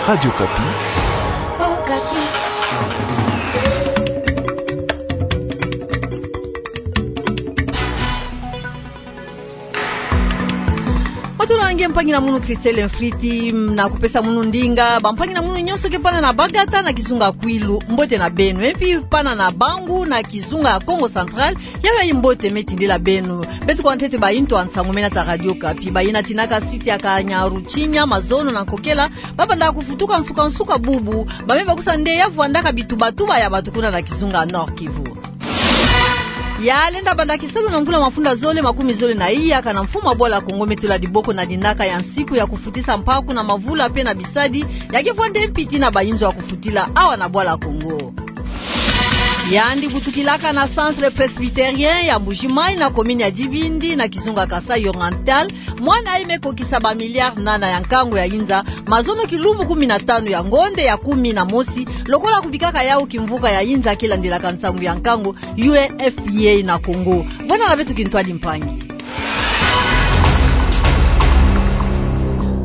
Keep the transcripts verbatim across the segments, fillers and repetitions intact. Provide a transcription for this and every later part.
Radio Okapi. Bato na nge mpangi na munu Christelle Mfriti, na kupesa munu ndinga, bampangi na munu nyonso ke pana na Bagata na kizunga Kwilu, mbote na beno, e mpi pana na Bangu na kizunga ya Kongo Central, yayi mbote me tindela beno. Beto kwa ntete bainto ya nsangu mena ta Radio Okapi, bayina tinaka site ya Kanyaruchinya, mazono na nkokela, ba banda kuvutuka nsuka-nsuka bubu, ba me bakusa nde ya vwandaka bitubatuba ya bato kuna na kizunga Nord-Kivu. Ya lenda banda kisalu na mvula mafunda zole makumi zole na iya, kana mfumu wa Bwala Kongo me tula diboko na dinaka ya nsiku ya kufutisa mpaku na mavula mpe na bisadi, ya ke vwanda mpi tii na bayinzo ya kufutila awa na Bwala Kongo. Yandi kutukilaka na Centre Presbytérien ya Mbuji-Mayi na commune ya Dibindi na kizunga Kasaï Oriental, mwana yayi me kokisa ba milliards nana ya nkangu ya yinza, mazono kilumbu kumi na tanu ya ngonde ya kumi na mosi, lokola kubikaka yawu kimvuka ya yinza ke landelaka nsangu ya nkangu, U N F P A na Kongo. Vwanda na beto kintwadi mpangi.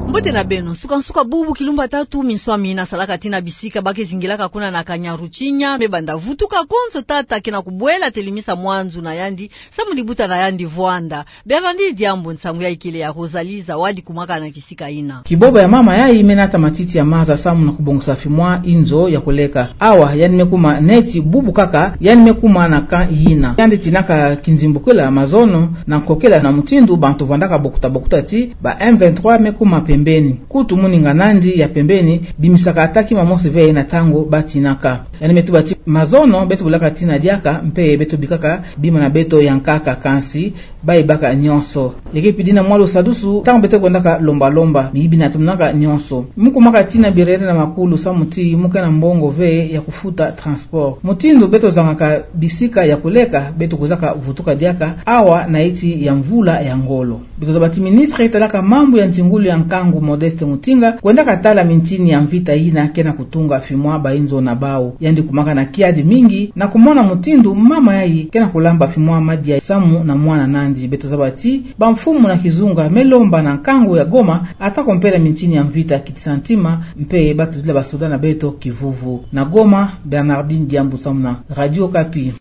Mbote na beno, nsuka-nsuka bubu kilumbu ya tatu, minswami na salaka tii na bisika ba ke zingilaka kuna na Kanyaruchinya, me banda vutuka konso tata ke na kubwela telimisa mwa nzu na yandi, samu libuta na yandi vwanda. Bernardine Diambu, nsangu yayi kele ya Rosalie Zawadi kumwaka na kisika yina. Kibobo ya mama yayi me nata matiti ya maza samu na kubongisa fimwa inzo ya kuleka. Awa, yandi me kuma neti bubu kaka, yandi me kuma na camp yina. Yandi tinaka kinzimbukila, mazono na nkokela na mutindu bantu vwandaka bokuta-bokuta tii ba M vingt-trois me kuma pembeni. Kutu muninga nandi ya pembeni, bimisaka ata kima mosi ve na ntangu ba tinaka. Yandi me tuba tii mazono beto bulaka tii na diaka, mpe beto bikaka bima na beto ya nkaka, kansi ba yibaka nyonso. Ya ke pidi na mwa lusadusu, ntangu beto kwendaka lomba-lomba, miyibi natomonaka nyonso. Mu kumwaka tii na birere na makulu samu tii mu ke na mbongo ve ya kufuta transport. Mutindu beto zangaka bisika ya kuleka, beto kwizaka vutuka diaka awa na iti ya mvula ya ngolo. Beto zaba tii ministre talaka mambu ya ntingulu ya nkangu Modeste Mutinga kwendaka tala mintini ya mvita yina ke na kutunga fimwa bayinzo na bawu. Yandi kumwaka na kiadi mingi na kumona mutindu mama yayi ke na kulamba fimwa madia samu na mwana nandi. Beto zaba tii bamfumu na kizunga me lomba na nkangu ya Goma ata ko mpela mintini ya mvita kitisa ntima, mpe ba tutila basoda na beto kivuvu. Na Goma, Bernardine Diambu samu na Radio Okapi.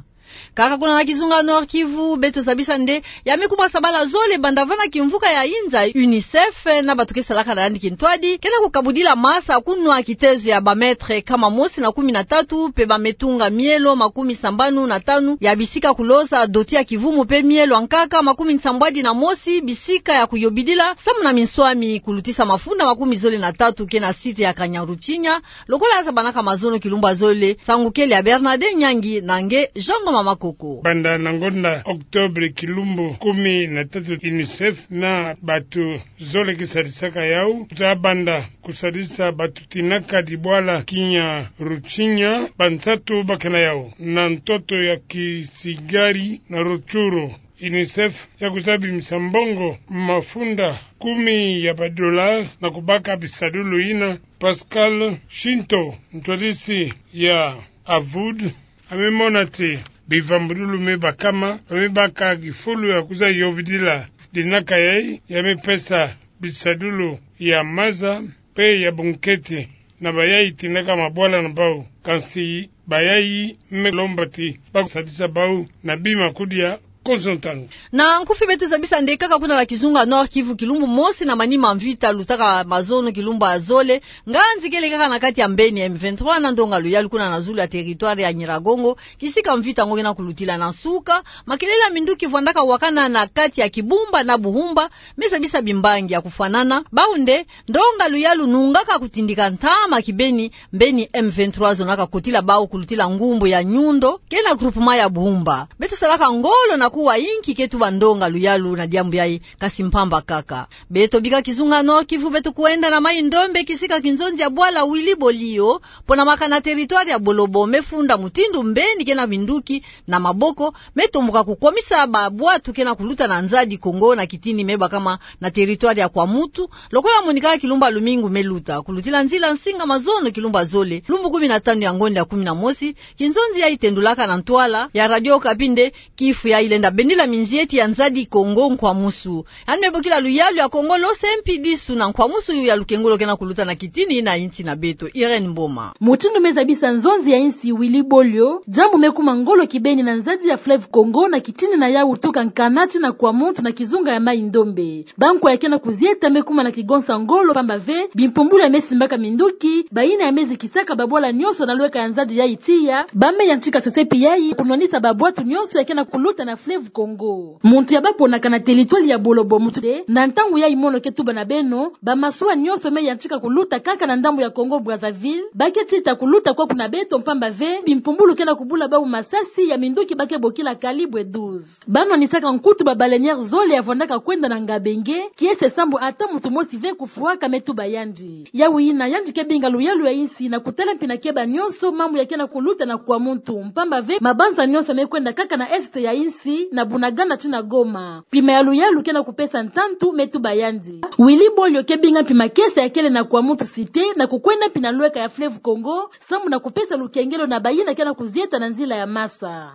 Kaka kuna na kizunga Nord-Kivu, beto zabisa nde ya me kuma sabala zole banda vana kimvuka ya yinza UNICEF na bato ke salaka na yandi kintwadi ke na kukabudila masa kunwa kitezo ya ba mètres nkama mosi na kumi na tatu, mpe ba me tunga mielo makumi sambanu na tanu ya bisika kuloza doti ya kivumu mpe mielo ya nkaka makumi nsambwadi na mosi bisika ya kuyobidila samu na minswami, kulutisa mafunda makumi zole na tatu ke na site ya Kanyaruchinya, lokola ya zabanaka mazono kilumbu ya zole. Nsangu kele ya Bernardin Nyangi na nge Jean Ngoma Makoko. Banda na ngonda octobre kilumbu kumi na tatu, UNICEF na bato zole ke sadisaka yawu, ta banda kusadisa bato tinaka dibwala Kinyaruchinya, bansatu ba ke na yawu na ntoto ya kisigari na Rutshuru. UNICEF ya kwiza bimisa mbongo mafunda kumi ya ba dollars na kubaka bisadulu yina. Pascal Shinto, ntwadisi ya AVUD, a me mona ti bivambululu me bakama, ba me baka kifulu ya kwiza yobidila dinaka yayi, ya me pesa bisadulu ya maza mpe ya bunkete na bayayi tinaka mabwala na bawu. Kansi bayayi me lomba ti ba sadisa bawu na bima kudia konso ntangu. Na nkufi beto zabisa nde kaka kuna na kizunga Nord-Kivu, kilumbu mosi na manima mvita lutaka mazono kilumbu ya zole, nganzi kele kaka na kati ya mbeni M vingt-trois na ndonga luyalu kuna na zulu ya territoire ya Nyiragongo, kisika mvita yango ke na kulutila. Na nsuka, makelele ya minduki vwandaka wakana na kati ya Kibumba na Buhumba, me zabisa bimbangi ya kufwanana. Bawu nde ndonga luyalu nungaka kutindika ntama kibeni, mbeni M vingt-trois zonaka kotila bawu kulutila ngumbu ya Nyundo, ke na groupement ya Buhumba. Beto salaka ngolo na kuwa inki ke tuba ndonga luyalu na diambu yayi, kansi mpamba kaka. Beto bika kizunga Nord-Kivu, beto kwenda na Maï-Ndombe, kisika kinzonzi ya bwala Willy Bolio, pona maka na territoire ya Bolobo, me funda mutindu mbeni ke na minduki na maboko me tomboka kukwamisa ba bwatu ke na kuluta na nza di Kongo na kitini me bakama na territoire ya Kwamouth, lokola monika kilumbu ya lumingu me luta. Kulutila nzila nsinga mazono kilumbu ya zole, lumbu kumi na tanu ya ngonda ya kumi na mosi, kinzonzi yayi tendulaka na ntwala ya Radio Okapi nde kifu yayi lenda Tabendila minzieti ya Nzadi Kongo nkwamusu. Yandi me bokila luyalu ya Kongo lose mpi disu na nkwamusu ya lukengolo kena kuluta na kitini na insi na beto. Irène Mboma. Mutindu me zabisa nzonzi ya insi Willy Bolio, diambu me kuma ngolo kibeni na nzadi ya fleuve Kongo na kitini na yawu tuka Nkana tii na Kwamouth na kizunga ya Mai-Ndombe. Bankwa ya kena kuzieta me kuma na kigonsa ngolo, pamba ve bimpumbulu ya me simbaka minduki, bayina ya me zikisaka babwala nyonso na lweka ya nzadi yayi tiya, ba me yantika sesepi yayi kunwanisa babwatu nyonso ya kena kuluta na fleuve Kongo. Muntu ya baponaka na territoire ya Bolobo mutu de, na ntangu yayi mono ke tuba na beno, bamasuwa nyonso me yantika kuluta kaka na ndambu ya Congo Brazzaville, ba ke tita kuluta kwaku na beto, pamba ve bimpumbulu kena kubula bawu masasi ya minduki ba ke bokila calibre douze. Ba nwanisaka nkutu ba baleinière zole ya vwandaka kwenda na Ngabenge, kiese sambu ata muntu mosi ve kufwaka, me tuba yandi. Yawu yina yandi ke binga luyalu ya insi na kutala mpi na keba nyonso mambu ya kena kuluta na Kwamouth, pamba ve mabanza nyonso me kwenda kaka na est ya insi, na Bunagana tii na Goma. Pima ya luyalu kena kupesa ntantu, me tuba yandi. Willy Bolio ke binga mpi makiese ya kele na Kwamouth cité na kukwenda mpi na lweka ya fleuve Congo, sambu na kupesa lukengelo na bayina kena kuzieta na nzila ya masa.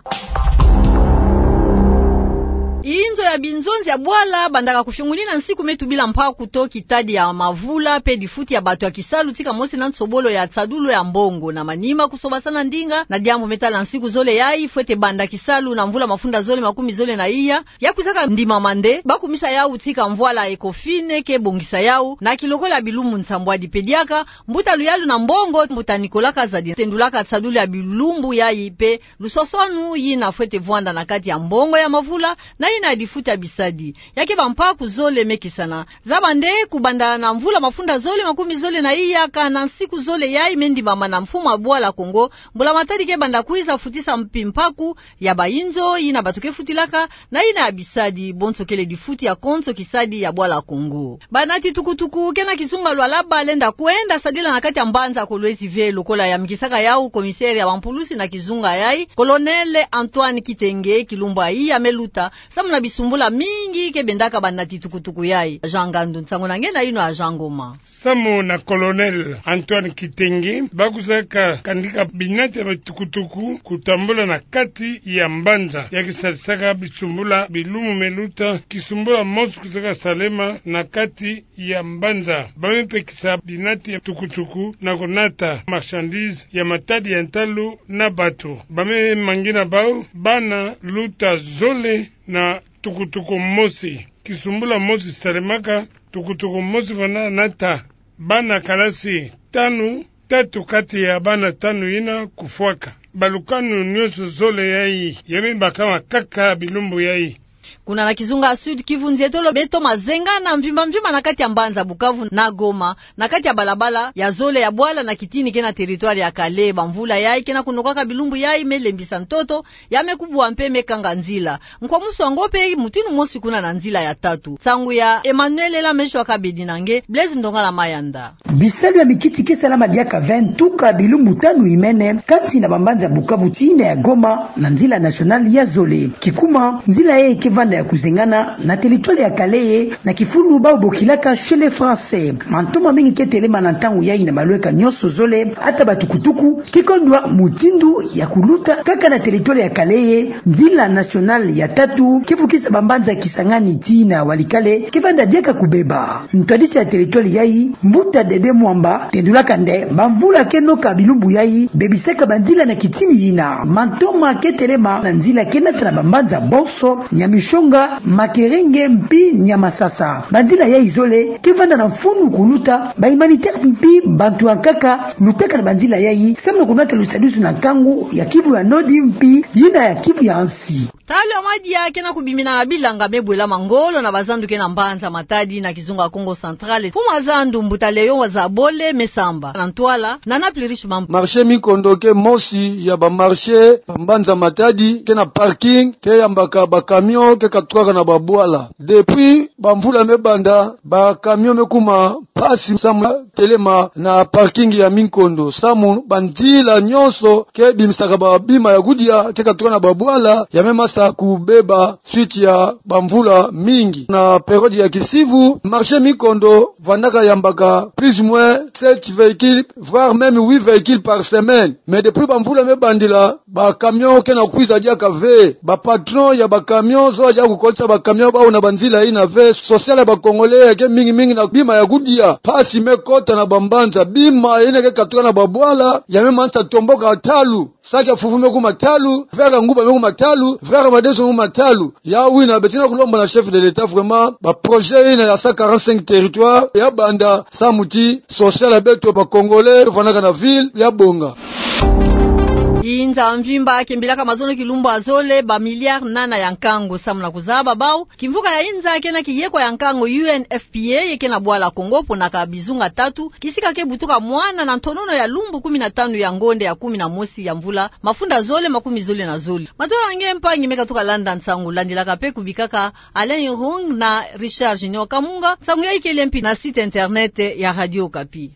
Inzo ya binzonzi ya bwala bandaka kufiungulina nsiku me tubila mpaku to kitadi ya mavula mpe difuti ya bato ya kisalu tika mosi na nsobolo ya nsadulu ya mbongo na manima kusobasana ndinga na diambu me tala nsiku zole yayi fwete banda kisalu na mvula mafunda zole makumi zole na iya. Ya kwizaka ndimama nde ba kumisa yawu tika mvwala Ecofin ke bongisa yawu na kilokola bilumbu nsambwadi. Mpe diaka mbuta luyalu na mbongo, mbuta Nicolas Kazadi, tendulaka nsadulu ya bilumbu yayi mpe luswaswanu yina fwete vwanda na kati ya mbongo ya mavula na yina ya difuti ya bisadi. Ya ke bampaku zole me kesana. Zaba nde kubanda na mvula mafunda zole makumi zole na iya, kana nsiku zole yayi me ndimama na mfumu ya bwala Congo, mbula matadi ke banda kwiza futisa mpi mpaku ya bayinzo yina bato ke futilaka na yina ya bisadi, bonso kele difuti ya konso kisadi ya bwala Congo. Banati tukutuku kena kizunga Lualaba lenda kwenda sadila na kati ya mbanza Kolwezi ve lokola yamikisaka yawu commissaire ya bampulusi na kizunga yayi, Colonel Antoine Kitenge, kilumbu ya iya me luta, samu na bisumbula mingi ke bendaka banati tukutuku yayi. Jean Ngandu, nsangu na nge na yino ya Jean Ngoma. Samu na Colonel Antoine Kitenge, ba kwizaka kandika binati ya bitukutuku kutambula na kati ya mbanza. Ya ke sadisaka bisumbula bilumbu me luta, kisumbula mosi kwizaka salema na kati ya mbanza. Ba me pekisa binati ya tukutuku na kunata marchandise ya matadi ya ntalu na bato. Ba me mangina bawu bana luta zole na tukutuku mosi. Kisumbula mosi salemaka, tukutuku mosi vwanda nata bana kalasi tanu, tatu kati ya bana tanu yina kufwaka. Balukanu nyonso zole yayi ya me bakama kaka bilumbu yayi. Kuna na kizunga ya Sud-Kivu, nzietolo beto mazengana mvimba mvimba na kati ya mbanza Bukavu na Goma, na kati ya balabala ya zole ya bwala na kitini kena territoire ya Kale. Bamvula yayi kena kunokaka bilumbu yayi me lembisa ntoto, ya me kubwa mpe me kanga nzila. Nkwamusu yango mpe mutindu mosi kuna na nzila ya tatu. Nsangu ya Emmanuel Ela Meshwa Kabedi na nge Blaise Ndongala Mayanda. Bisalu ya mikiti ke salama diaka ve tuka bilumbu tanu imene, kati na bambanza Bukavu tii na ya Goma, na nzila nationale ya zole. Kikuma, nzila yayi ke vanda ya kuzengana na territoire ya Kale, na kifulu bawu bokilaka Chez les Français. Mantoma mingi ke telema na ntangu yayi na malweka nyonso zole, ata batukutuku, ke kondwa mutindu ya kuluta kaka na territoire ya Kale. Nzila nationale ya tatu ke fukisa bambanza Kisangani tii na Walikale ke vanda diaka kubeba. Ntwadisi ya territoire yayi, mbuta Dede Mwamba, tendulaka nde bamvula ke noka bilumbu yayi bebisaka banzila na kitini yina. Mantoma ke telema na nzila ke nata na bambanza bonso, Nyamishonga, Makerenge mpi Nyamasasa. Banzila yayi zole ke vanda na mfunu kuluta, ba humanitaire mpi bantu ya nkaka lutaka na banzila yayi, samu na kunata lusadusu na nkangu ya Kivu ya Nord mpi yina ya Kivu ya nsi. Talo ya madia kena kubimina na bilanga me bwelama ngolo na bazandu kena mbanza Matadi na kizunga Kongo Central. Mfumu a zandu mbuta Léon Wazabole me samba na ntwala na Naples Richemond. Marché Minkondo ke mosi ya ba marché ya mbanza Matadi, kena parking ke yambaka ba camion ke katukaka na babwala. Depuis bamvula me banda, ba camion me kuma mpasi samu ya telema na parking ya Minkondo, samu banzila nyonso ke bimisaka babima ya kudia ke katuka na babwala, ya me masa ta kubeba suite ya bamvula mingi. Na période ya kisivu, marché Mikondo vandaka yambaka plus ou moins sept véhicules, voire même huit véhicules par semaine. Mais depuis bamvula me bandila, ba camion ke na kwiza diaka ve. Ba patron ya ba camion zola diaka kukolisa ba camion bawu na banzila yina ve. Social ya ba Congolais ya ke mingi mingi na bima ya kudia. Mpasi me kota na bambanza, bima yina ke katuka na babwala ya me manisa tomboka ntalu. Saki ya fufu me kuma ntalu, verre ya nguba me kuma ntalu, verre ya madesu me kuma ntalu. Yawu yina beto ke na kulomba na chef de l'État vraiment ba projet yina ya cent quarante-cinq territoires ya banda samu ti social ya beto ba Congolais vandaka na ville ya bonga. Inza mvimba kembilaka mazono kilumbu ya zole ba milliards nana ya nkango samu na kuzaba bawu kimvuka ya inza ke na kiyekwa ya nkango U N F P A ye ke na bwala Congo ponaka bizunga tatu, kisika ke butuka mwana na ntonono ya lumbu kumi na tanu ya ngonde ya kumi na mosi ya mvula mafunda zole makumi zole na zole. Matondo na nge mpangi me katuka landa nsangu, landilaka mpe kubikaka Alain Irung na Richard Junior Kamunga. Nsangu ya ikele mpi na site internet ya Radio Okapi.